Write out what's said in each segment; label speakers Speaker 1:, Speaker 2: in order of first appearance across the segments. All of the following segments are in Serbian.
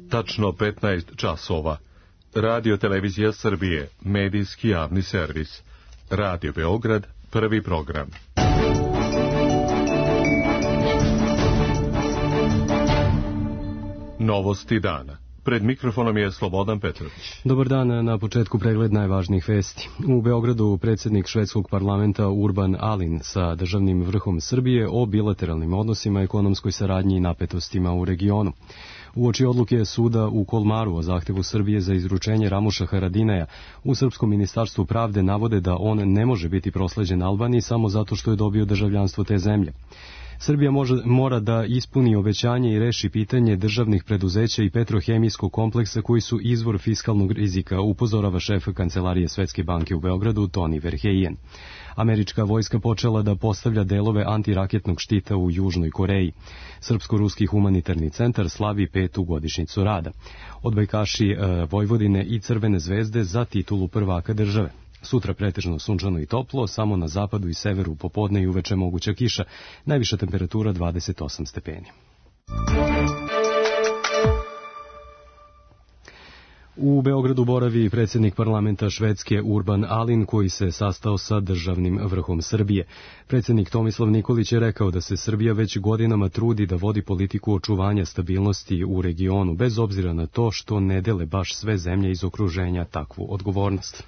Speaker 1: tačno 15 časova. Radio Televizija Srbije, medijski javni servis. Radio Beograd, prvi program. Novosti dana. Pred mikrofonom je Slobodan Petrović.
Speaker 2: Dobar dan, na početku pregled najvažnijih vesti. U Beogradu predsjednik švedskog parlamenta Urban Ahlin sa državnim vrhom Srbije o bilateralnim odnosima, ekonomskoj saradnji i napetostima u regionu. Uoči odluke suda u Kolmaru o zahtevu Srbije za izručenje Ramuša Haradinaja, u Srpskom ministarstvu pravde navode da on ne može biti prosleđen Albaniji samo zato što je dobio državljanstvo te zemlje. Srbija mora da ispuni obećanje i reši pitanje državnih preduzeća i petrohemijskog kompleksa koji su izvor fiskalnog rizika, upozorava šef Kancelarije Svetske banke u Beogradu Tony Verheyen. Američka vojska počela da postavlja delove antiraketnog štita u Južnoj Koreji. Srpsko-ruski humanitarni centar slavi 5. godišnjicu rada. Odbojkaši Vojvodine i Crvene zvezde za titulu prvaka države. Sutra pretežno sunčano i toplo, samo na zapadu i severu popodne i uveče moguća kiša, najviša temperatura 28 stepeni. U Beogradu boravi predsjednik parlamenta Švedske Urban Ahlin, koji se sastao sa državnim vrhom Srbije. Predsjednik Tomislav Nikolić je rekao da se Srbija već godinama trudi da vodi politiku očuvanja stabilnosti u regionu, bez obzira na to što ne dele baš sve zemlje iz okruženja takvu odgovornost.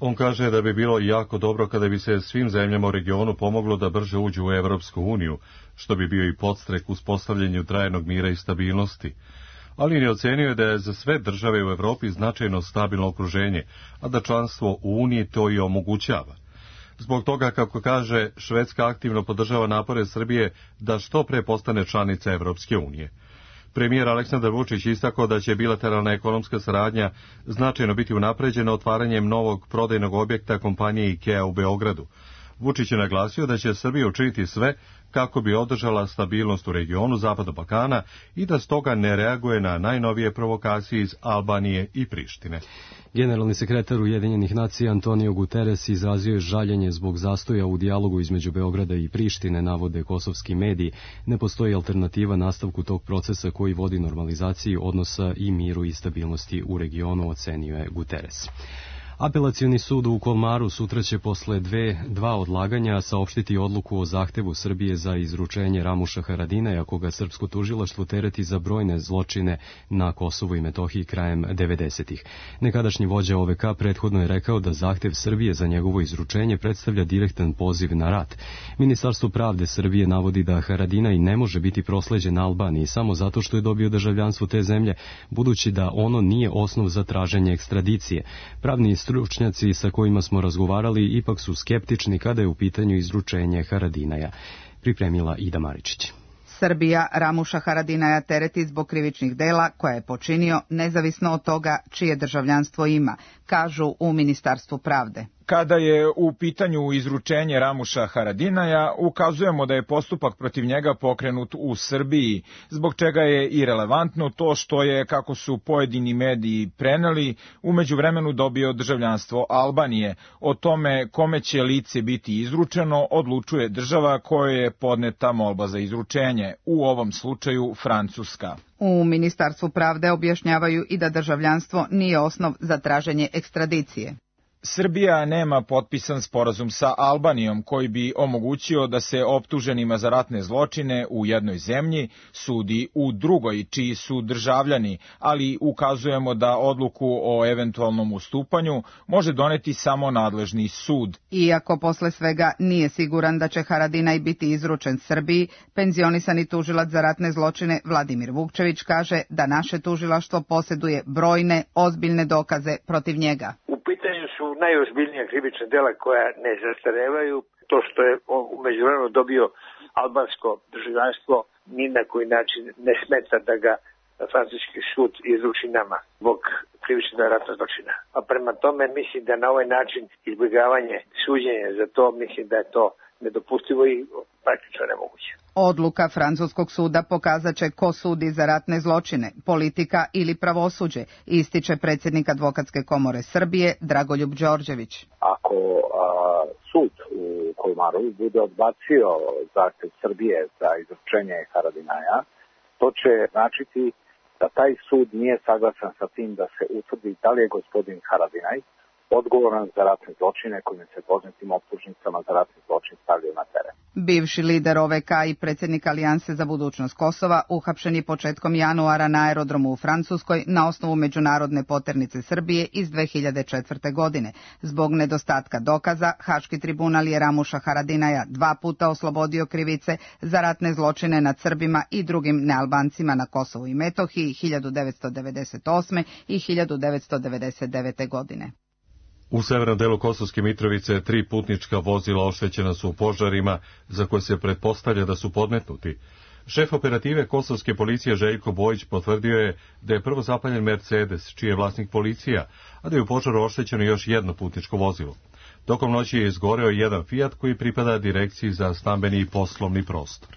Speaker 1: On kaže da bi bilo jako dobro kada bi se svim zemljama u regionu pomoglo da brže uđu u Evropsku uniju, što bi bio i podstrek uspostavljanju trajnog mira i stabilnosti. Ali ne ocenio je da je za sve države u Evropi značajno stabilno okruženje, a da članstvo u Uniji to i omogućava. Zbog toga, kako kaže, Švedska aktivno podržava napore Srbije da što pre postane članica Evropske unije. Premijer Aleksandar Vučić istakao da će bilateralna ekonomska saradnja značajno biti unapređena otvaranjem novog prodajnog objekta kompanije IKEA u Beogradu. Vučić je naglasio da će Srbija učiniti sve kako bi održala stabilnost u regionu Zapadnog Balkana i da stoga ne reaguje na najnovije provokacije iz Albanije i Prištine.
Speaker 2: Generalni sekretar Ujedinjenih nacija Antonio Guterres izrazio je žaljenje zbog zastoja u dijalogu između Beograda i Prištine, navode kosovski mediji. Ne postoji alternativa nastavku tog procesa koji vodi normalizaciji odnosa i miru i stabilnosti u regionu, ocenio je Guterres. Apelacioni sud u Kolmaru sutra će posle dva odlaganja saopštiti odluku o zahtevu Srbije za izručenje Ramuša Haradinaja, koga srpsko tužilaštvo tereti za brojne zločine na Kosovu i Metohiji krajem 90-ih. Nekadašnji vođa OVK prethodno je rekao da zahtev Srbije za njegovo izručenje predstavlja direktan poziv na rat. Ministarstvo pravde Srbije navodi da Haradinaj ne može biti prosleđen Albaniji samo zato što je dobio državljanstvo te zemlje, budući da ono nije osnov za traženje ekstradicije. Pravni stručnjaci sa kojima smo razgovarali ipak su skeptični kada je u pitanju izručenje Haradinaja, pripremila Ida Maričić.
Speaker 3: Srbija Ramuša Haradinaja tereti zbog krivičnih dela koja je počinio nezavisno od toga čije državljanstvo ima, kažu u Ministarstvu pravde.
Speaker 4: Kada je u pitanju izručenje Ramuša Haradinaja, ukazujemo da je postupak protiv njega pokrenut u Srbiji, zbog čega je i relevantno to što je, kako su pojedini mediji preneli, u međuvremenu dobio državljanstvo Albanije. O tome kome će lice biti izručeno odlučuje država kojoj je podneta molba za izručenje, u ovom slučaju Francuska.
Speaker 3: U Ministarstvu pravde objašnjavaju i da državljanstvo nije osnov za traženje ekstradicije.
Speaker 4: Srbija nema potpisan sporazum sa Albanijom koji bi omogućio da se optuženima za ratne zločine u jednoj zemlji sudi u drugoj, čiji su državljani, ali ukazujemo da odluku o eventualnom ustupanju može doneti samo nadležni sud.
Speaker 3: Iako posle svega nije siguran da će Haradinaj biti izručen Srbiji, penzionisani tužilac za ratne zločine Vladimir Vukčević kaže da naše tužilaštvo posjeduje brojne, ozbiljne dokaze protiv njega.
Speaker 5: Su najozbiljnija krivična dela koja ne zastarevaju. To što je umeđuvremenu dobio albansko državljanstvo ni na koji način ne smeta da ga francuski sud izruči nama zbog krivičnog ratnog zločina. A prema tome mislim da na ovaj način izbjegavanje suđenja za to, mislim da je to nedopustivo i praktično nemoguće.
Speaker 3: Odluka francuskog suda pokazat će ko sudi za ratne zločine, politika ili pravosuđe, ističe predsjednik Advokatske komore Srbije Dragoljub Đorđević.
Speaker 6: Ako sud u Kolmaru bude odbacio zahtev Srbije za izručenje Haradinaja, to će značiti da taj sud nije saglasan sa tim da se utvrdi da li je gospodin Haradinaj odgovoran za ratne zločine kojim se poznatim optužnicama za ratni zločin stavljaju na teren.
Speaker 3: Bivši lider OVK i predsjednik Alijanse za budućnost Kosova uhapšen je početkom januara na aerodromu u Francuskoj na osnovu međunarodne poternice Srbije iz 2004. godine. Zbog nedostatka dokaza, Haški tribunal je Ramuša Haradinaja 2 puta oslobodio krivice za ratne zločine nad Srbima i drugim nealbancima na Kosovu i Metohiji 1998. i 1999. godine.
Speaker 1: U severnom delu Kosovske Mitrovice 3 putnička vozila oštećena su u požarima za koje se pretpostavlja da su podmetnuti. Šef operative kosovske policije Željko Bojić potvrdio je da je prvo zapaljen Mercedes, čiji je vlasnik policija, a da je u požaru oštećeno još jedno putničko vozilo. Tokom noći je izgoreo jedan Fiat koji pripada Direkciji za stambeni i poslovni prostor.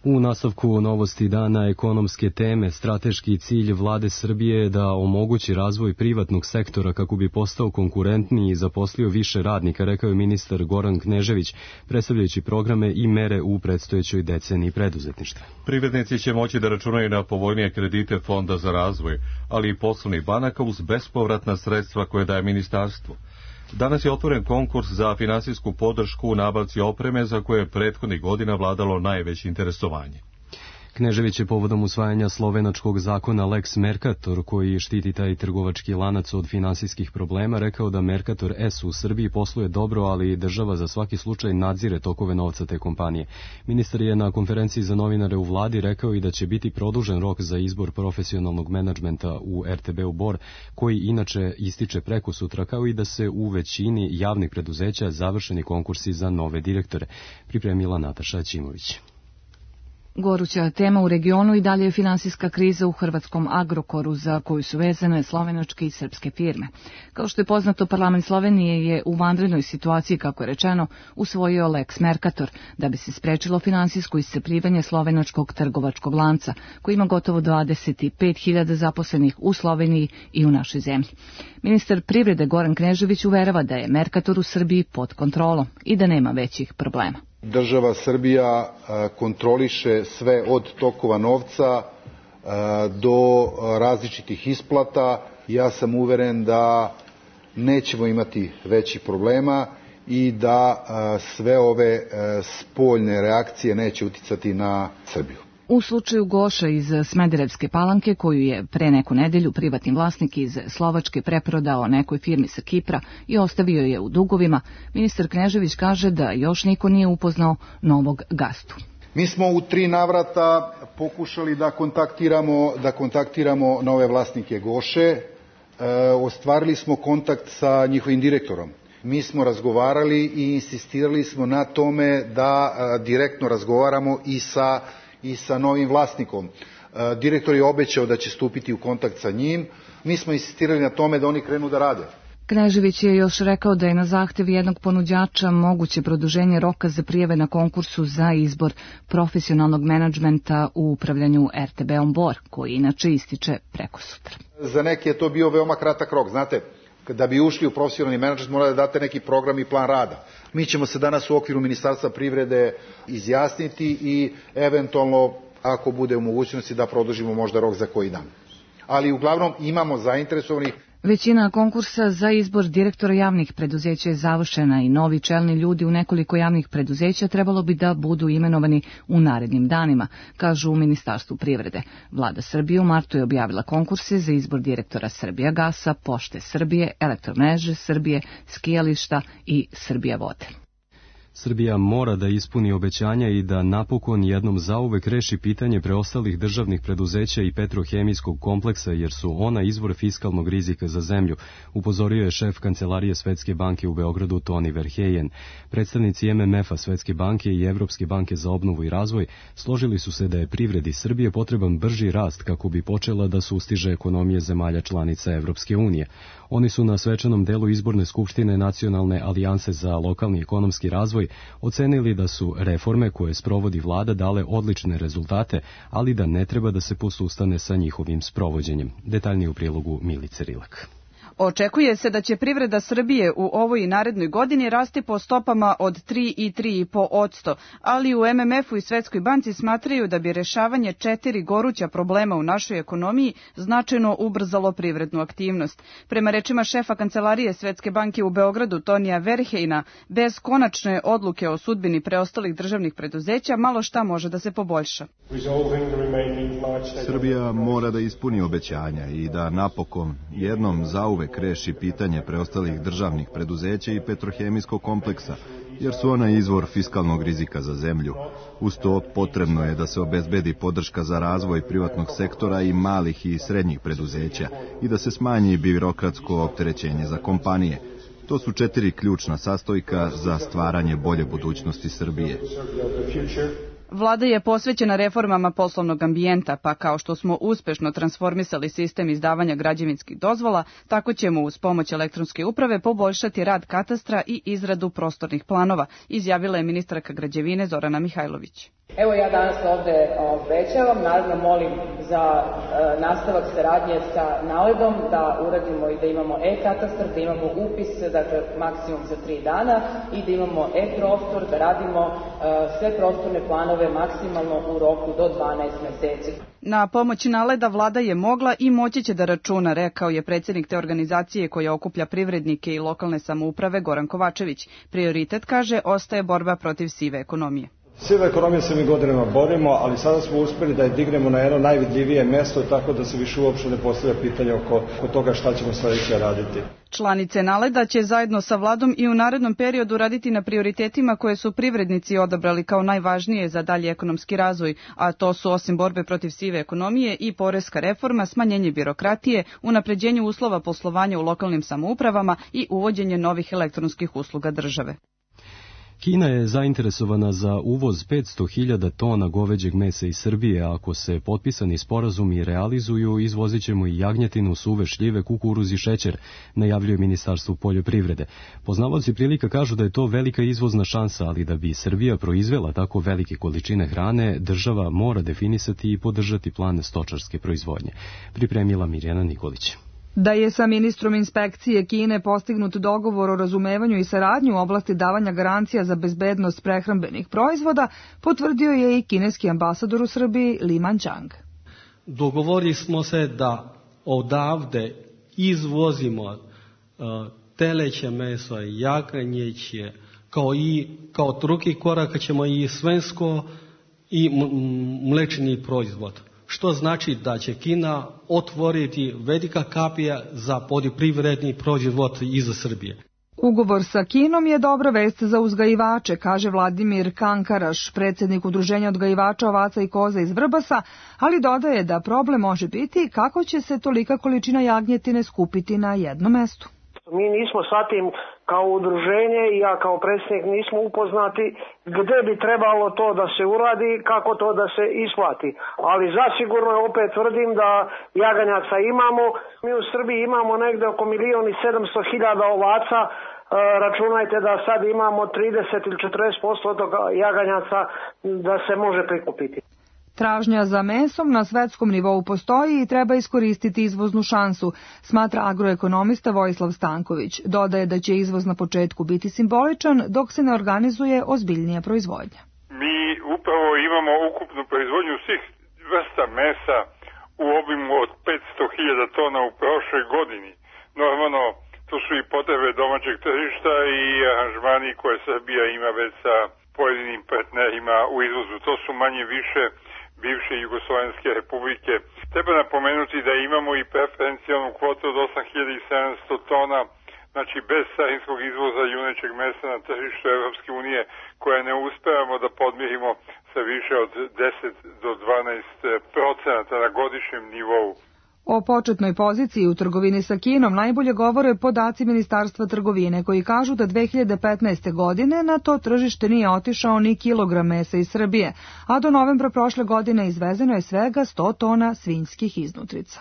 Speaker 2: U nastavku novosti dana ekonomske teme, strateški cilj vlade Srbije je da omogući razvoj privatnog sektora kako bi postao konkurentniji i zaposlio više radnika, rekao je ministar Goran Knežević, predstavljajući programe i mere u predstojećoj deceniji preduzetništva.
Speaker 1: Privrednici će moći da računaju na povoljnije kredite Fonda za razvoj, ali i poslovnih banaka uz bespovratna sredstva koje daje ministarstvo. Danas je otvoren konkurs za finansijsku podršku u nabavci opreme za koje je prethodnih godina vladalo najveće interesovanje.
Speaker 2: Knežević je povodom usvajanja slovenačkog zakona Lex Mercator, koji štiti taj trgovački lanac od finansijskih problema, rekao da Mercator S u Srbiji posluje dobro, ali država za svaki slučaj nadzire tokove novca te kompanije. Ministar je na konferenciji za novinare u vladi rekao i da će biti produžen rok za izbor profesionalnog menadžmenta u RTB-u Bor, koji inače ističe prekosutra, kao i da se u većini javnih preduzeća završeni konkursi za nove direktore. Pripremila Nataša Ćimović.
Speaker 7: Goruća tema u regionu i dalje je finansijska kriza u hrvatskom Agrokoru, za koju su vezane slovenačke i srpske firme. Kao što je poznato, parlament Slovenije je u vanrednoj situaciji, kako je rečeno, usvojio Lex Mercator, da bi se sprečilo finansijsko iscrpljivanje slovenačkog trgovačkog lanca, koji ima gotovo 25.000 zaposlenih u Sloveniji i u našoj zemlji. Ministar privrede Goran Knežević uverava da je Mercator u Srbiji pod kontrolom i da nema većih problema.
Speaker 8: Država Srbija kontroliše sve od tokova novca do različitih isplata. Ja sam uveren da nećemo imati većih problema i da sve ove spoljne reakcije neće uticati na Srbiju.
Speaker 7: U slučaju Goša iz Smederevske Palanke, koju je pre neku nedelju privatni vlasnik iz Slovačke preprodao nekoj firmi sa Kipra i ostavio je u dugovima, ministar Knežević kaže da još niko nije upoznao novog gazdu.
Speaker 8: Mi smo u 3 navrata pokušali da kontaktiramo nove vlasnike Goše. Ostvarili smo kontakt sa njihovim direktorom. Mi smo razgovarali i insistirali smo na tome da direktno razgovaramo i sa novim vlasnikom. Direktor je obećao da će stupiti u kontakt sa njim. Mi smo insistirali na tome da oni krenu da rade.
Speaker 7: Knežević je još rekao da je na zahtev jednog ponuđača moguće produženje roka za prijave na konkursu za izbor profesionalnog menadžmenta u upravljanju RTB-om Bor, koji inače ističe prekosutra.
Speaker 8: Za neke je to bio veoma kratak rok. Znate, da bi ušli u profesionalni menadžment mora da date neki program i plan rada. Mi ćemo se danas u okviru Ministarstva privrede izjasniti i eventualno, ako bude u mogućnosti, da produžimo možda rok za koji dan. Ali uglavnom imamo zainteresovanih.
Speaker 7: Većina konkursa za izbor direktora javnih preduzeća je završena i novi čelni ljudi u nekoliko javnih preduzeća trebalo bi da budu imenovani u narednim danima, kažu u Ministarstvu privrede. Vlada Srbije u martu je objavila konkurse za izbor direktora Srbijagasa, Pošte Srbije, Elektromreže Srbije, skijališta i Srbija vode.
Speaker 2: Srbija mora da ispuni obećanja i da napokon jednom zauvek reši pitanje preostalih državnih preduzeća i petrohemijskog kompleksa, jer su ona izvor fiskalnog rizika za zemlju, upozorio je šef Kancelarije Svetske banke u Beogradu Toni Verheyen. Predstavnici MMF-a, Svetske banke i Evropske banke za obnovu i razvoj složili su se da je privredi Srbije potreban brži rast kako bi počela da sustiže ekonomije zemalja članica Evropske unije. Oni su na svečanom delu izborne skupštine Nacionalne alijanse za lokalni ekonomski razvoj ocenili da su reforme koje sprovodi vlada dale odlične rezultate, ali da ne treba da se posustane sa njihovim sprovođenjem. Detaljnije u prilogu Milice Rilak.
Speaker 9: Očekuje se da će privreda Srbije u ovoj i narednoj godini rasti po stopama od 3 i 3,5%, ali u MMF-u i Svetskoj banci smatraju da bi rešavanje 4 goruća problema u našoj ekonomiji značajno ubrzalo privrednu aktivnost. Prema rečima šefa kancelarije Svetske banke u Beogradu Tonija Verhejna, bez konačne odluke o sudbini preostalih državnih preduzeća malo šta može da se poboljša.
Speaker 10: Srbija mora da ispuni obećanja i da napokon jednom zauvek reši pitanje preostalih državnih preduzeća i petrohemijskog kompleksa, jer su ona izvor fiskalnog rizika za zemlju. Uz to potrebno je da se obezbedi podrška za razvoj privatnog sektora i malih i srednjih preduzeća i da se smanji birokratsko opterećenje za kompanije. To su 4 ključna sastojka za stvaranje bolje budućnosti Srbije.
Speaker 9: Vlada je posvećena reformama poslovnog ambijenta, pa kao što smo uspešno transformisali sistem izdavanja građevinskih dozvola, tako ćemo uz pomoć elektronske uprave poboljšati rad katastra i izradu prostornih planova, izjavila je ministarka građevine Zorana Mihajlović.
Speaker 11: Evo ja danas ovde obećavam, naravno molim za nastavak saradnje sa NALED-om da uradimo i da imamo e-katastar, da imamo upis, dakle maksimum za 3 dana i da imamo e-prostor, da radimo sve prostorne planove maksimalno u roku do 12 meseci.
Speaker 9: Na pomoć NALED-a vlada je mogla i moći će da računa, rekao je predsjednik te organizacije koja okuplja privrednike i lokalne samouprave Goran Kovačević. Prioritet, kaže, ostaje borba protiv sive ekonomije.
Speaker 12: Siva ekonomija se mi godinama borimo, ali sada smo uspeli da je dignemo na jedno najvidljivije mesto, tako da se više uopšte ne postavlja pitanje oko toga šta ćemo sledeće raditi.
Speaker 9: Članice NALED-a će zajedno sa vladom i u narednom periodu raditi na prioritetima koje su privrednici odabrali kao najvažnije za dalji ekonomski razvoj, a to su osim borbe protiv sive ekonomije i poreska reforma, smanjenje birokratije, unapređenje uslova poslovanja u lokalnim samoupravama i uvođenje novih elektronskih usluga države.
Speaker 2: Kina je zainteresovana za uvoz 500.000 tona goveđeg mesa iz Srbije, a ako se potpisani sporazumi realizuju, izvozit ćemo i jagnjetinu, suve šljive, kukuruz i šećer, najavljuje Ministarstvo poljoprivrede. Poznavaoci prilika kažu da je to velika izvozna šansa, ali da bi Srbija proizvela tako velike količine hrane, država mora definisati i podržati plan stočarske proizvodnje. Pripremila Mirjana Nikolić.
Speaker 13: Da je sa ministrom inspekcije Kine postignut dogovor o razumevanju i saradnji u oblasti davanja garancija za bezbednost prehrambenih proizvoda, potvrdio je i kineski ambasador u Srbiji Li Manchang.
Speaker 14: Dogovorili smo se da odavde izvozimo teleće meso, jagnjeće, kao drugi korak ćemo i svinjsko i mlečni proizvod. Što znači da će Kina otvoriti velika kapija za poljoprivredni proizvod iz Srbije.
Speaker 13: Ugovor sa Kinom je dobra vest za uzgajivače, kaže Vladimir Kankaraš, predsjednik Udruženja odgajivača ovaca i koza iz Vrbasa, ali dodaje da problem može biti kako će se tolika količina jagnjetine skupiti na jednom mestu.
Speaker 15: Mi nismo sa tim kao udruženje i ja kao predsjednik nismo upoznati gde bi trebalo to da se uradi, kako to da se isplati. Ali zasigurno opet tvrdim da jaganjaca imamo. Mi u Srbiji imamo negde oko 1.700.000 ovaca. Računajte da sad imamo 30 ili 40% od jaganjaca da se može prikupiti.
Speaker 13: Tražnja za mesom na svetskom nivou postoji i treba iskoristiti izvoznu šansu, smatra agroekonomista Vojislav Stanković. Dodaje da će izvoz na početku biti simboličan dok se ne organizuje ozbiljnija proizvodnja.
Speaker 16: Mi upravo imamo ukupnu proizvodnju svih vrsta mesa u obimu od 500.000 tona u prošloj godini. Normalno, to su i potrebe domaćeg tržišta i aranžmani koje Srbija ima već sa pojedinim partnerima u izvozu. To su manje više bivše Jugoslovenske republike. Treba napomenuti da imamo i preferencijalnu kvotu od 8.700 tona, znači bez carinskog izvoza junećeg mesa na tržištu Evropske unije, koje ne uspevamo da podmirimo sa više od 10 do 12% na godišnjem nivou.
Speaker 13: O početnoj poziciji u trgovini sa Kinom najbolje govore podaci Ministarstva trgovine koji kažu da 2015. godine na to tržište nije otišao ni kilogram mesa iz Srbije, a do novembra prošle godine izvezeno je svega 100 tona svinjskih iznutrica.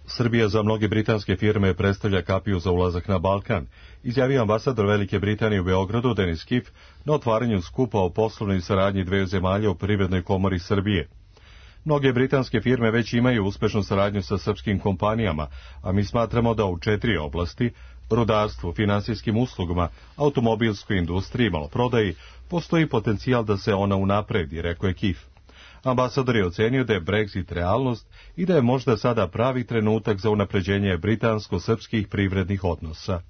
Speaker 1: Srbija za mnoge britanske firme predstavlja kapiju za ulazak na Balkan, izjavio ambasador Velike Britanije u Beogradu Denis Kiff na otvaranju skupa o poslovnoj saradnji dveju zemalja u Privrednoj komori Srbije. Mnoge britanske firme već imaju uspešnu saradnju sa srpskim kompanijama, a mi smatramo da u 4 oblasti, rudarstvu, finansijskim uslugama, automobilskoj industriji i maloprodaji, postoji potencijal da se ona unapredi, rekao je Kif. Ambasador je ocenio da je Brexit realnost i da je možda sada pravi trenutak za unapređenje britansko-srpskih privrednih odnosa.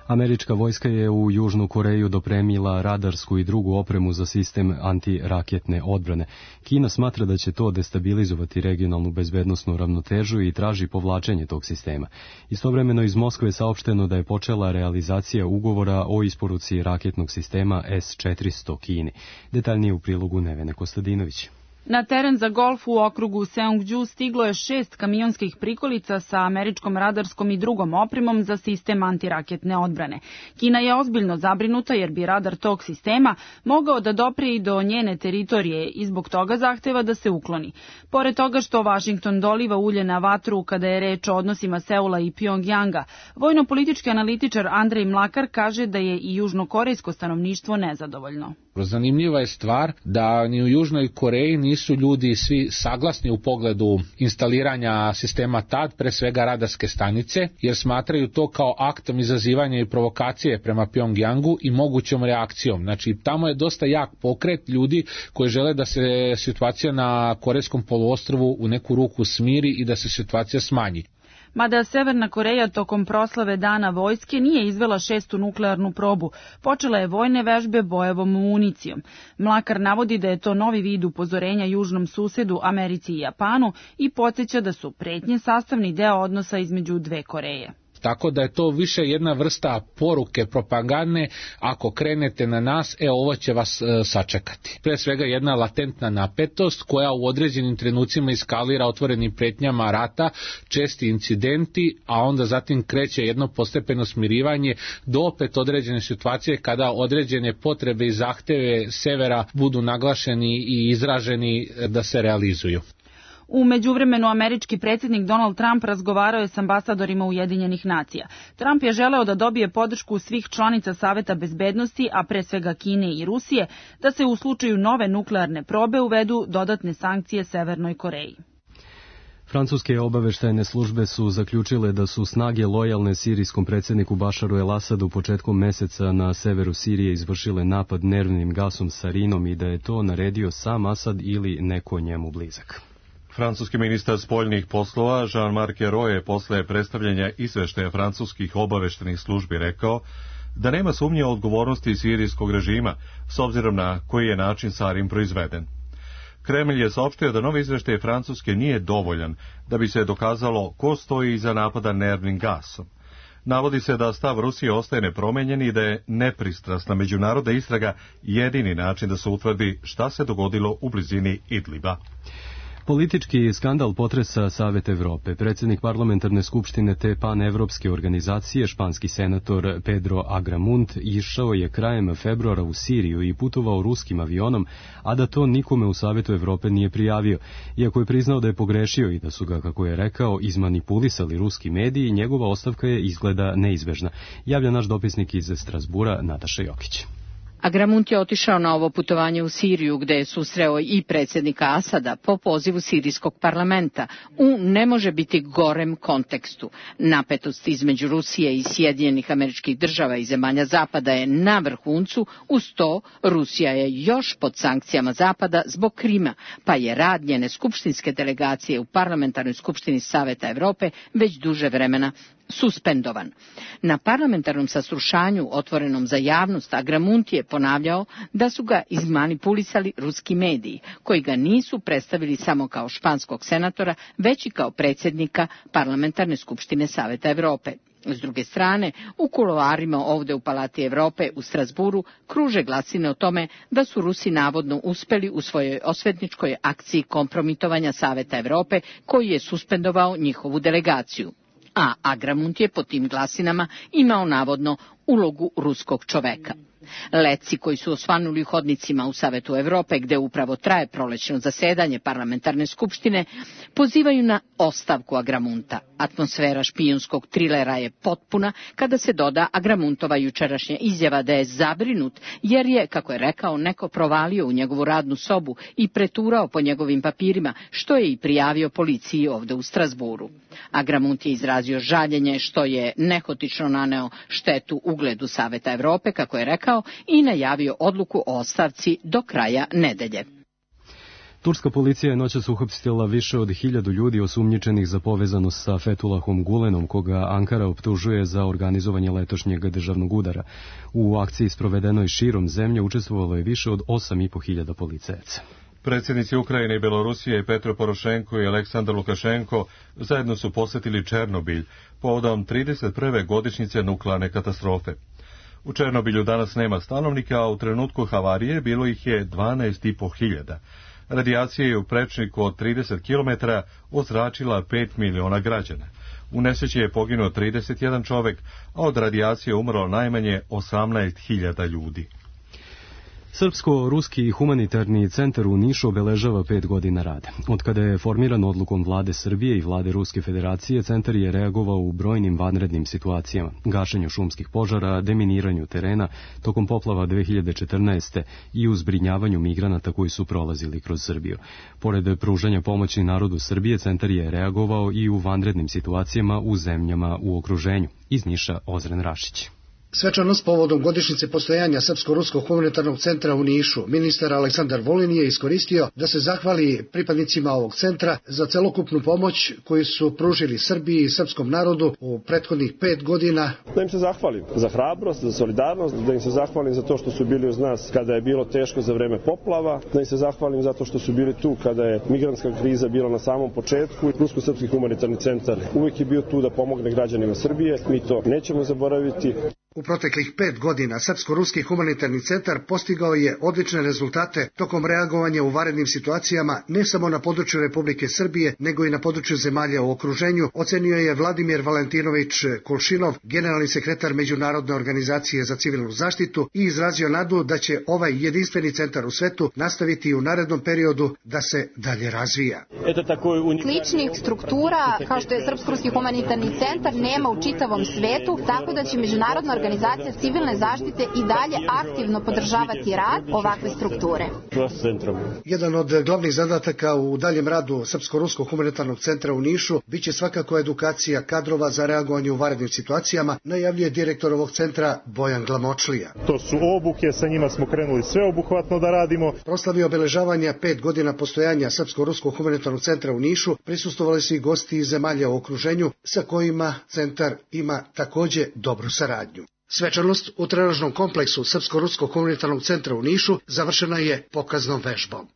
Speaker 2: Američka vojska je u Južnu Koreju dopremila radarsku i drugu opremu za sistem antiraketne odbrane. Kina smatra da će to destabilizovati regionalnu bezbednosnu ravnotežu i traži povlačenje tog sistema. Istovremeno iz Moskve je saopšteno da je počela realizacija ugovora o isporuci raketnog sistema S-400 Kini. Detaljnije u prilogu Nevene Kostadinović.
Speaker 17: Na teren za golf u okrugu Seongju stiglo je 6 kamionskih prikolica sa američkom radarskom i drugom opremom za sistem antiraketne odbrane. Kina je ozbiljno zabrinuta jer bi radar tog sistema mogao da dopre i do njene teritorije i zbog toga zahteva da se ukloni. Pored toga što Vašington doliva ulje na vatru kada je reč o odnosima Seula i Pjongjanga, vojno-politički analitičar Andrej Mlakar kaže da je i južnokorejsko stanovništvo nezadovoljno.
Speaker 18: Zanimljiva je stvar da ni u Južnoj Koreji nisu ljudi svi saglasni u pogledu instaliranja sistema TAD, pre svega radarske stanice, jer smatraju to kao aktom izazivanja i provokacije prema Pjongjangu i mogućom reakcijom. Znači, tamo je dosta jak pokret ljudi koji žele da se situacija na Korejskom poluostrvu u neku ruku smiri i da se situacija smanji.
Speaker 17: Mada Severna Koreja tokom proslave Dana vojske nije izvela 6. nuklearnu probu, počela je vojne vežbe bojevom municijom. Mlakar navodi da je to novi vid upozorenja južnom susedu Americi i Japanu i podsjeća da su pretnje sastavni deo odnosa između dve Koreje.
Speaker 18: Tako da je to više jedna vrsta poruke propagandne, ako krenete na nas, ovo će vas sačekati. Pre svega jedna latentna napetost koja u određenim trenucima eskalira otvorenim pretnjama rata, česti incidenti, a onda zatim kreće jedno postepeno smirivanje do opet određene situacije kada određene potrebe i zahteve severa budu naglašeni i izraženi da se realizuju.
Speaker 17: U međuvremenu američki predsjednik Donald Trump razgovarao je s ambasadorima Ujedinjenih nacija. Trump je želeo da dobije podršku svih članica Saveta bezbednosti, a pre svega Kine i Rusije, da se u slučaju nove nuklearne probe uvedu dodatne sankcije Severnoj Koreji.
Speaker 2: Francuske obaveštajne službe su zaključile da su snage lojalne sirijskom predsjedniku Bašaru el-Asadu početkom meseca na severu Sirije izvršile napad nervnim gasom sarinom i da je to naredio sam Asad ili neko njemu blizak.
Speaker 1: Francuski ministar spoljnih poslova Jean-Marc Ayrault je posle predstavljanja izveštaja francuskih obaveštajnih službi rekao da nema sumnje o odgovornosti sirijskog režima s obzirom na koji je način sarin proizveden. Kremlj je saopštio da novi izveštaj Francuske nije dovoljan da bi se dokazalo ko stoji iza napada nervnim gasom. Navodi se da stav Rusije ostaje nepromenjen i da je nepristrasna međunarodna istraga jedini način da se utvrdi šta se dogodilo u blizini Idliba.
Speaker 2: Politički skandal potresa Savet Evrope. Predsjednik parlamentarne skupštine te panevropske organizacije, španski senator Pedro Agramunt, išao je krajem februara u Siriju i putovao ruskim avionom, a da to nikome u Savetu Evrope nije prijavio. Iako je priznao da je pogrešio i da su ga, kako je rekao, izmanipulisali ruski mediji, njegova ostavka je izgleda neizbežna. Javlja naš dopisnik iz Strasbura, Nataša Jokić.
Speaker 19: Agramunt je otišao na ovo putovanje u Siriju gde je susreo i predsjednika Asada po pozivu sirijskog parlamenta u ne može biti gorem kontekstu. Napetost između Rusije i Sjedinjenih Američkih Država i zemalja Zapada je na vrhuncu, uz to Rusija je još pod sankcijama Zapada zbog Krima, pa je rad njene skupštinske delegacije u parlamentarnoj skupštini Saveta Evrope već duže vremena suspendovan. Na parlamentarnom saslušanju otvorenom za javnost Agramunt je ponavljao da su ga izmanipulisali ruski mediji, koji ga nisu predstavili samo kao španskog senatora, već i kao predsjednika parlamentarne skupštine Saveta Evrope. S druge strane, u kuloarima ovde u Palati Evrope u Strasburu kruže glasine o tome da su Rusi navodno uspeli u svojoj osvetničkoj akciji kompromitovanja Saveta Evrope, koji je suspendovao njihovu delegaciju. A Agramunt je po tim glasinama imao navodno ulogu ruskog čoveka. Letci koji su osvanuli u hodnicima u Savetu Evrope, gde upravo traje prolećno zasedanje parlamentarne skupštine, pozivaju na ostavku Agramunta. Atmosfera špijunskog trilera je potpuna kada se doda Agramuntova jučerašnja izjava da je zabrinut jer je, kako je rekao, neko provalio u njegovu radnu sobu i preturao po njegovim papirima, što je i prijavio policiji ovde u Strazburu. Agramunt je izrazio žaljenje što je nehotično naneo štetu ugledu Saveta Evrope, kako je rekao, i najavio odluku o ostavci do kraja nedelje.
Speaker 2: Turska policija je noćas uhapsila više od 1000 ljudi osumnjičenih za povezanost sa Fethullahom Gulenom, koga Ankara optužuje za organizovanje letošnjeg državnog udara. U akciji sprovedenoj širom zemlje učestvovalo je više od 8500 policajaca.
Speaker 1: Predsjednici Ukrajine i Belorusije Petro Porošenko i Aleksandar Lukašenko zajedno su posjetili Černobilj povodom 31. godišnjice nuklearne katastrofe. U Černobilju danas nema stanovnika, a u trenutku havarije bilo ih je 12.500. Radijacija je u prečniku od 30 km ozračila 5 miliona građana. U nesreći je poginuo 31 čovek, a od radijacije umrlo najmanje 18.000 ljudi.
Speaker 2: Srpsko-ruski humanitarni centar u Nišu obeležava 5 godina rada. Od kada je formiran odlukom vlade Srbije i vlade Ruske federacije, centar je reagovao u brojnim vanrednim situacijama, gašenju šumskih požara, deminiranju terena tokom poplava 2014. i u zbrinjavanju migranata koji su prolazili kroz Srbiju. Pored pružanja pomoći narodu Srbije, centar je reagovao i u vanrednim situacijama u zemljama u okruženju. Iz Niša Ozren Rašić.
Speaker 20: Svečanost povodom godišnjice postojanja Srpsko-ruskog humanitarnog centra u Nišu, ministar Aleksandar Vulin je iskoristio da se zahvali pripadnicima ovog centra za celokupnu pomoć koju su pružili Srbiji i srpskom narodu u prethodnih 5 godina.
Speaker 21: Da im se zahvalim za hrabrost, za solidarnost, da im se zahvalim za to što su bili uz nas kada je bilo teško za vreme poplava, da im se zahvalim zato što su bili tu kada je migrantska kriza bila na samom početku. Rusko-srpski humanitarni centar uvijek je bio tu da pomogne građanima Srbije, mi to nećemo zaboraviti.
Speaker 20: U proteklih 5 godina Srpsko-ruski humanitarni centar postigao je odlične rezultate tokom reagovanja u vanrednim situacijama ne samo na području Republike Srbije, nego i na području zemalja u okruženju, ocenio je Vladimir Valentinović Kulšinov, generalni sekretar Međunarodne organizacije za civilnu zaštitu, i izrazio nadu da će ovaj jedinstveni centar u svetu nastaviti u narednom periodu da se dalje razvija.
Speaker 22: Sličnih struktura kao što je Srpsko-ruski humanitarni centar nema u čitavom svetu, tako da će Međunarodna organizacija civilne zaštite i dalje aktivno podržavati rad ovakve strukture.
Speaker 20: Jedan od glavnih zadataka u daljem radu Srpsko-ruskog humanitarnog centra u Nišu biće svakako edukacija kadrova za reagovanje u vanrednim situacijama, najavljuje direktor ovog centra Bojan Glamočlija.
Speaker 23: To su obuke, sa njima smo krenuli sveobuhvatno da radimo.
Speaker 20: Proslavi obeležavanja 5 godina postojanja Srpsko-ruskog humanitarnog centra u Nišu prisustvovali su i gosti iz zemalja u okruženju sa kojima centar ima takođe dobru saradnju. Svečanost u trenažnom kompleksu Srpsko-ruskog humanitarnog centra u Nišu završena je pokaznom vežbom.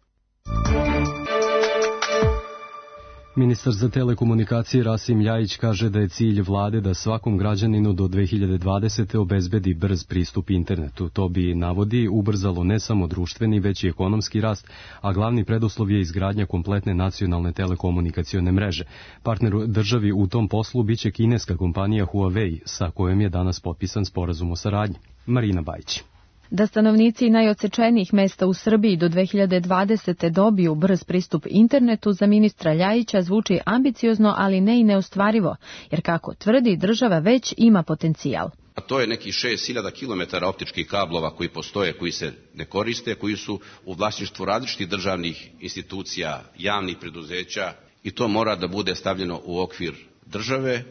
Speaker 2: Ministar za telekomunikacije Rasim Ljajić kaže da je cilj vlade da svakom građaninu do 2020. obezbedi brz pristup internetu. To bi, navodi, ubrzalo ne samo društveni, već i ekonomski rast, a glavni preduslov je izgradnja kompletne nacionalne telekomunikacione mreže. Partner državi u tom poslu biće kineska kompanija Huawei, sa kojom je danas potpisan sporazum o saradnji. Marina Bajić.
Speaker 24: Da stanovnici najodsečenijih mesta u Srbiji do 2020. dobiju brz pristup internetu za ministra Ljajića zvuči ambiciozno, ali ne i neostvarivo, jer kako tvrdi, država već ima potencijal.
Speaker 25: A to je nekih 6000 km optičkih kablova koji postoje, koji se ne koriste, koji su u vlasništvu različitih državnih institucija, javnih preduzeća, i to mora da bude stavljeno u okvir države.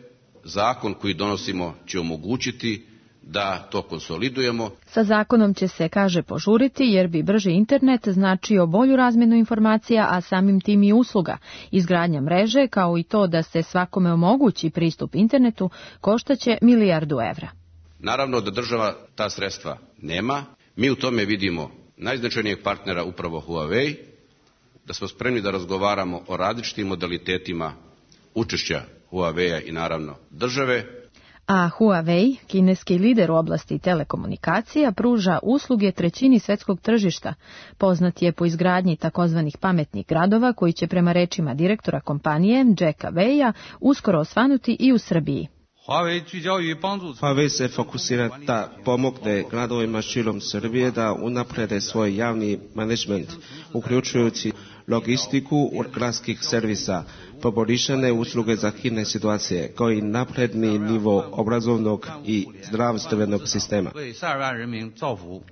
Speaker 25: Zakon koji donosimo će omogućiti da to konsolidujemo.
Speaker 24: Sa zakonom će se, kaže, požuriti jer bi brži internet značio bolju razmjenu informacija, a samim tim i usluga. Izgradnja mreže, kao i to da se svakome omogući pristup internetu, koštaće $1 milijardu.
Speaker 25: Naravno da država ta sredstva nema. Mi u tome vidimo najznačajnijeg partnera upravo Huawei, da smo spremni da razgovaramo o različitim modalitetima učešća Huawei-a i naravno države.
Speaker 24: A Huawei, kineski lider u oblasti telekomunikacija, pruža usluge trećini svetskog tržišta. Poznat je po izgradnji takozvanih pametnih gradova koji će prema rečima direktora kompanije Jacka Weia uskoro osvanuti i u Srbiji.
Speaker 3: Huawei se fokusira da pomogne gradovima širom Srbije da unaprede svoj javni menadžment, uključujući logistiku gradskih servisa, poboljšane usluge za hitne situacije, kao i napredni nivo obrazovnog i zdravstvenog sistema.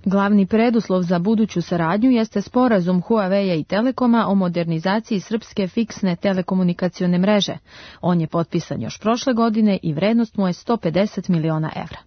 Speaker 24: Glavni preduslov za buduću saradnju jeste sporazum Huawei i Telekoma o modernizaciji srpske fiksne telekomunikacione mreže. On je potpisan još prošle godine i vrednost mu je 150 miliona evra.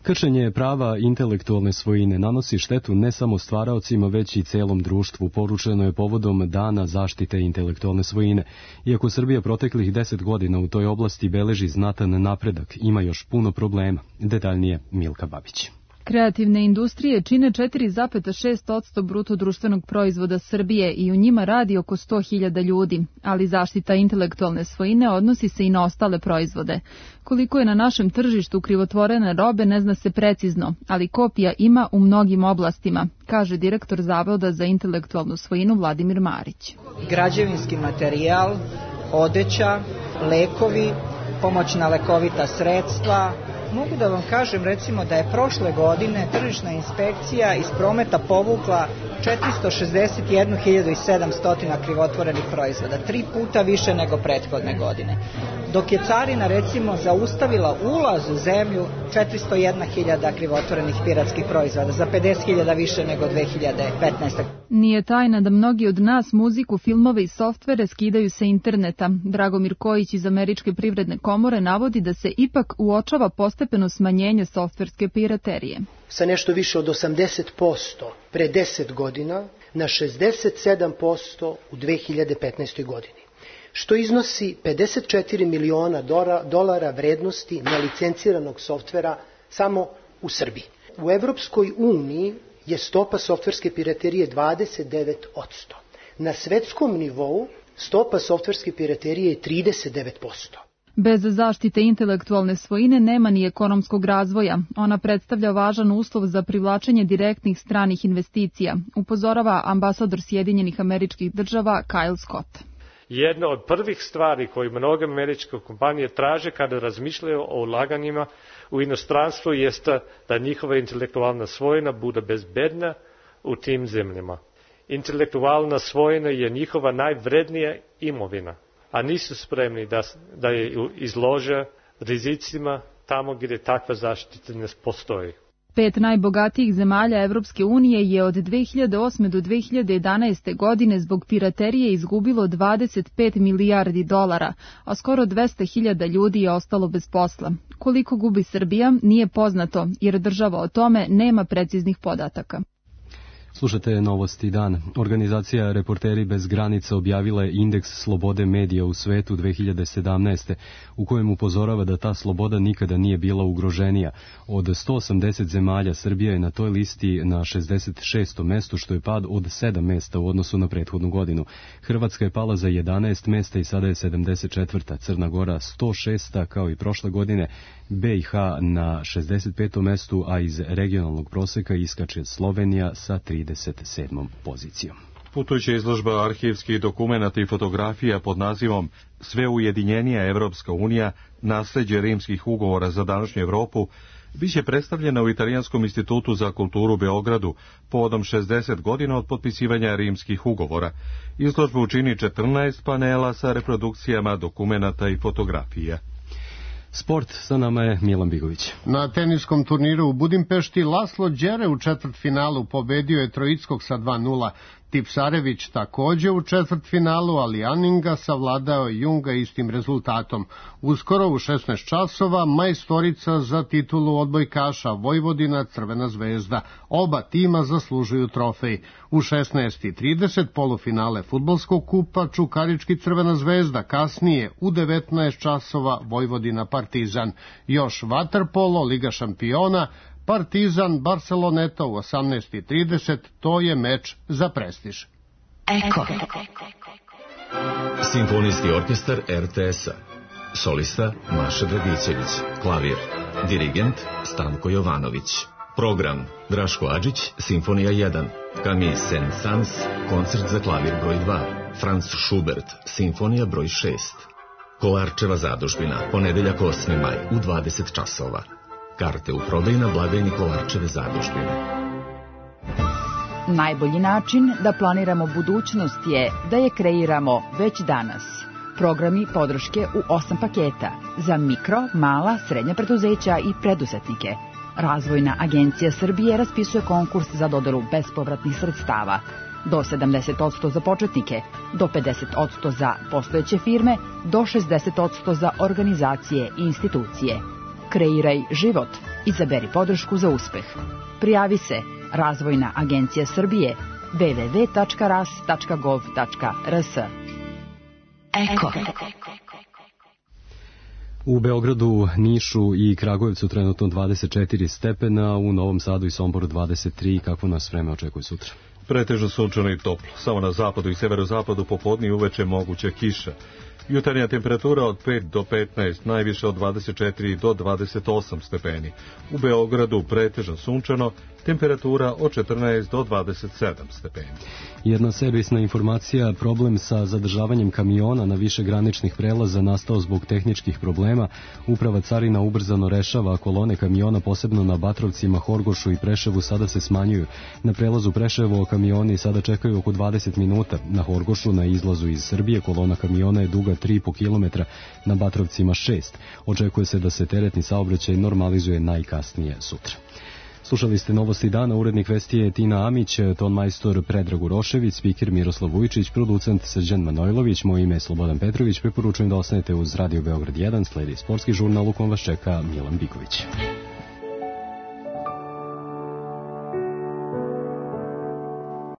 Speaker 2: Kršenje prava intelektualne svojine nanosi štetu ne samo stvaraocima, već i celom društvu, poručeno je povodom Dana zaštite intelektualne svojine. Iako Srbija proteklih 10 godina u toj oblasti beleži znatan napredak, ima još puno problema. Detaljnije Milka Babić.
Speaker 4: Kreativne industrije čine 4,6% bruto društvenog proizvoda Srbije i u njima radi oko 100.000 ljudi, ali zaštita intelektualne svojine odnosi se i na ostale proizvode. Koliko je na našem tržištu krivotvorene robe ne zna se precizno, ali kopija ima u mnogim oblastima, kaže direktor Zavoda za intelektualnu svojinu Vladimir Marić.
Speaker 5: Građevinski materijal, odeća, lekovi, pomoćna lekovita sredstva. Mogu da vam kažem recimo da je prošle godine tržišna inspekcija iz prometa povukla 461.700 krivotvorenih proizvoda, 3 puta više nego prethodne godine. Dok je carina recimo zaustavila ulaz u zemlju 401.000 krivotvorenih piratskih proizvoda, za 50.000 više nego 2015.
Speaker 4: Nije tajna da mnogi od nas muziku, filmove i softvere skidaju sa interneta. Dragomir Kojić iz Američke privredne komore navodi da se ipak uočava postepeno smanjenje softverske piraterije.
Speaker 6: Sa nešto više od 80% pre 10 godina na 67% u 2015. godini, što iznosi 54 miliona dolara vrednosti nelicenciranog softvera samo u Srbiji. U Evropskoj uniji je stopa softverske piraterije 29%. Na svetskom nivou stopa softverske piraterije je 39%.
Speaker 4: Bez zaštite intelektualne svojine nema ni ekonomskog razvoja. Ona predstavlja važan uslov za privlačenje direktnih stranih investicija, upozorava ambasador Sjedinjenih Američkih Država Kyle Scott.
Speaker 8: Jedna od prvih stvari koje mnoge američke kompanije traže kada razmišljaju o ulaganjima u inostranstvo jeste da njihova intelektualna svojina bude bezbedna u tim zemljama. Intelektualna svojina je njihova najvrednija imovina, a nisu spremni da je izlože rizicima tamo gdje takva zaštita ne postoji.
Speaker 4: 5 najbogatijih zemalja Evropske unije je od 2008. do 2011. godine zbog piraterije izgubilo 25 milijardi dolara, a skoro 200.000 ljudi je ostalo bez posla. Koliko gubi Srbija nije poznato, jer država o tome nema preciznih podataka.
Speaker 2: Slušate Novosti dan. Organizacija Reporteri bez granica objavila je indeks slobode medija u svetu 2017. u kojem upozorava da ta sloboda nikada nije bila ugroženija. Od 180 zemalja Srbija je na toj listi na 66. mestu, što je pad od 7 mesta u odnosu na prethodnu godinu. Hrvatska je pala za 11 mesta i sada je 74. Crna Gora 106. kao i prošle godine. BiH na 65. mestu, a iz regionalnog proseka iskače Slovenija sa 37. pozicijom.
Speaker 1: Putujuća izložba arhivskih dokumenata i fotografija pod nazivom Sve ujedinjenija Evropska unija, nasleđe rimskih ugovora za današnju Evropu, biće predstavljena u Italijanskom institutu za kulturu u Beogradu povodom 60 godina od potpisivanja rimskih ugovora. Izložbu čini 14 panela sa reprodukcijama dokumenata i fotografija.
Speaker 2: Sport, sa nama je Milan Bigović.
Speaker 26: Na teniskom turniru u Budimpešti Laslo Đere u četvrtfinalu pobedio je Troickog sa 2:0. Tipsarević takođe u četvrtfinalu, ali Aninga savladao Junga istim rezultatom. Uskoro u 16 časova majstorica za titulu odbojkaša Vojvodina Crvena zvezda. Oba tima zaslužuju trofej. U 16:30 polufinale fudbalskog kupa Čukarički Crvena zvezda, kasnije u 19 časova Vojvodina Partizan. Još vaterpolo, Liga šampiona, Partizan Barceloneta u 18:30, to je meč za prestiž.
Speaker 27: Eko. Simfonijski orkestar RTS-a. Solista Maša Dragićević. Klavir. Dirigent Stanko Jovanović. Program Draško Adžić, Simfonija 1. Camille Saint-Saëns, koncert za klavir broj 2. Franz Schubert, Simfonija broj 6. Kolarčeva zadužbina, ponedeljak 8. maj u 20 časova. Karte u prodaju na blagajni Kolarčeve zadužbine.
Speaker 7: Najbolji način da planiramo budućnost je da je kreiramo već danas. Programi podrške u 8 paketa za mikro, mala, srednja preduzeća i preduzetnike. Razvojna agencija Srbije raspisuje konkurs za dodelu bespovratnih sredstava. Do 70% za početnike, do 50% za postojeće firme, do 60% za organizacije i institucije. Kreiraj život. Izaberi podršku za uspeh. Prijavi se Razvojna agencija Srbije www.ras.gov.rs. Eko.
Speaker 2: U Beogradu, Nišu i Kragujevcu trenutno 24 stepena, u Novom Sadu i Somboru 23. Kakvo nas vreme očekuje sutra?
Speaker 1: Pretežno sunčano i toplo. Samo na zapadu i severozapadu popodne i uveče moguća kiša. Jutarnja temperatura od 5 do 15, najviše od 24 do 28 stepeni. U Beogradu pretežno sunčano, temperatura od 14 do 27 stepeni.
Speaker 2: Jedna servisna informacija, problem sa zadržavanjem kamiona na više graničnih prelaza nastao zbog tehničkih problema. Uprava carina ubrzano rešava, kolone kamiona, posebno na Batrovcima, Horgošu i Preševu, sada se smanjuju. Na prelazu Preševo kamioni sada čekaju oko 20 minuta. Na Horgošu, na izlazu iz Srbije, kolona kamiona je duga 3,5 km, na Batrovcima 6. Očekuje se da se teretni saobraćaj normalizuje najkasnije sutra. Slušali ste Novosti dana, urednik vesti je Tina Amić, tonmajstor Predrag Urošević, spiker Miroslav Vujčić, producent Srđan Manojlović, moje ime je Slobodan Petrović. Preporučujem da ostanete uz Radio Beograd 1, sledi sportski žurnal u kom vas čeka Milan Biković.